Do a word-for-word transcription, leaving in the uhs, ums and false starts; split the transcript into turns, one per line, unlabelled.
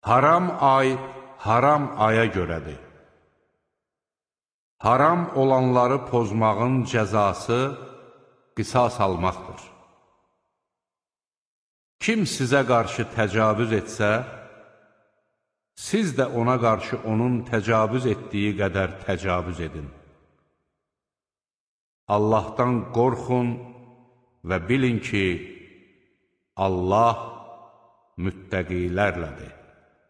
Haram ay, haram aya görədir. Haram olanları pozmağın cəzası qisas almaqdır. Kim sizə qarşı təcavüz etsə, siz də ona qarşı onun təcavüz etdiyi qədər təcavüz edin. Allahdan qorxun və bilin ki, Allah müttəqilərlədir.